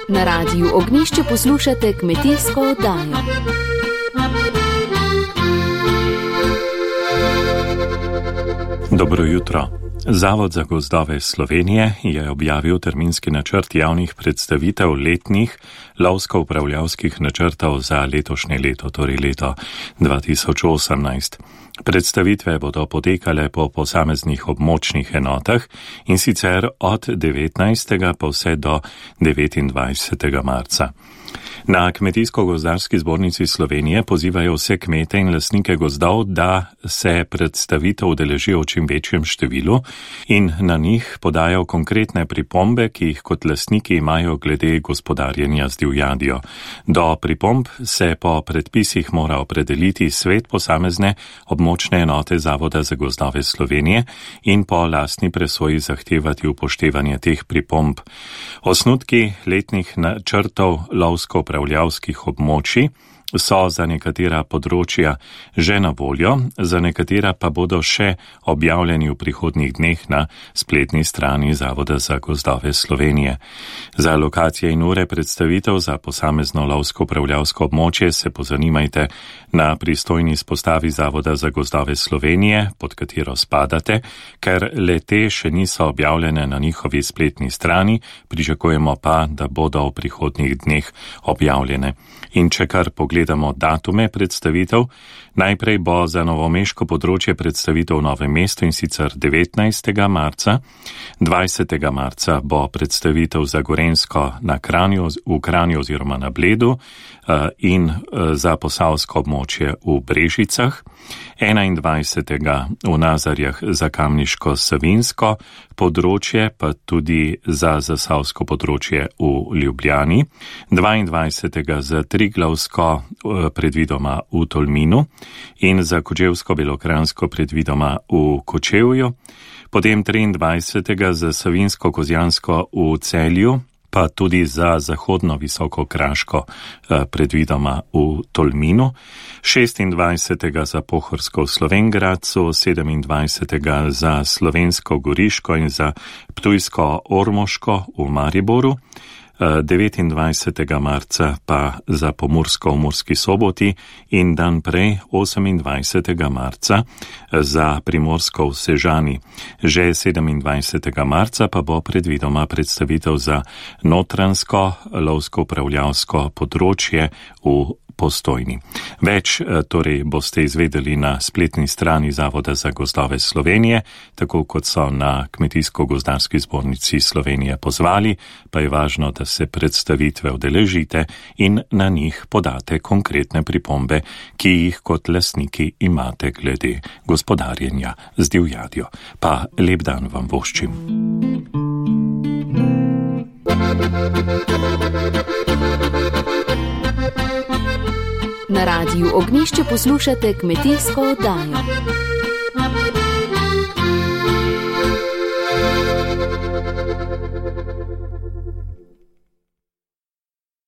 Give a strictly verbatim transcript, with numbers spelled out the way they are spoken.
Na Radiu Ognjišče poslušate kmetijsko oddajo. Dobro jutro. Zavod za gozdove Slovenije je objavil terminski načrt javnih predstavitev letnih lovsko-upravljavskih načrtov za letošnje leto, torej leto dva tisoč osemnajst. Predstavitve bodo potekale po posameznih območnih enotah in sicer od devetnajstega pa vse do devetindvajsetega marca. Na Kmetijsko-gozdarski zbornici Slovenije pozivajo vse kmete in lastnike gozdov, da se predstavitev udeležijo v čim večjem številu in na njih podajo konkretne pripombe, ki jih kot lastniki imajo glede gospodarjenja z divjadjo. Do pripomb se po predpisih mora opredeliti svet posamezne območne enote Zavoda za gozdove Slovenije in po lastni presoji zahtevati upoštevanje teh pripomb. Osnutki letnih načrtov lovsko-upravljavskih območij so za nekatera področja že na voljo, za nekatera pa bodo še objavljeni v prihodnjih dneh na spletni strani Zavoda za gozdove Slovenije. Za lokacije in ure predstavitev za posamezno lovsko-upravljavsko območje se pozanimajte na pristojni izpostavi Zavoda za gozdove Slovenije, pod katero spadate, ker le te še niso objavljene na njihovi spletni strani, pričakujemo pa, da bodo v prihodnjih dneh objavljene. In če kar pogledamo datume predstavitev, najprej bo za novomeško področje predstavitev v Novem mestu in sicer devetnajstega marca, dvajsetega marca bo predstavitev za Gorenjsko na Kranju, v Kranju oziroma na Bledu in za posavsko območje v Brežicah, enaindvajsetega v Nazarjah za Kamniško-Savinjsko področje, pa tudi za zasavsko področje v Ljubljani, dvaindvajsetega za Triglavsko predvidoma v Tolminu in za Kočevsko-Belokranjsko predvidoma v Kočevju, potem triindvajsetega za Savinjsko-Kozjansko v Celju, pa tudi za zahodno Visokokraško predvidoma v Tolminu, šestindvajsetega za Pohorsko v Slovenj Gradcu, sedemindvajsetega za Slovensko Goriško in za Ptujsko-Ormoško v Mariboru, devetindvajsetega marca pa za Pomursko v Murski Soboti in dan prej osemindvajsetega marca za Primorsko v Sežani. Že sedemindvajsetega marca pa bo predvidoma predstavitev za notransko lovsko-upravljavsko področje v Postojni. Več torej boste izvedeli na spletni strani Zavoda za gozdove Slovenije, tako kot so na Kmetijsko-gozdarski zbornici Slovenije pozvali, pa je važno, da se predstavitve udeležite in na njih podate konkretne pripombe, ki jih kot lastniki imate glede gospodarjenja z divjadjo. Pa lep dan vam voščim. Na Radiu Ognjišče poslušate kmetijsko oddajo.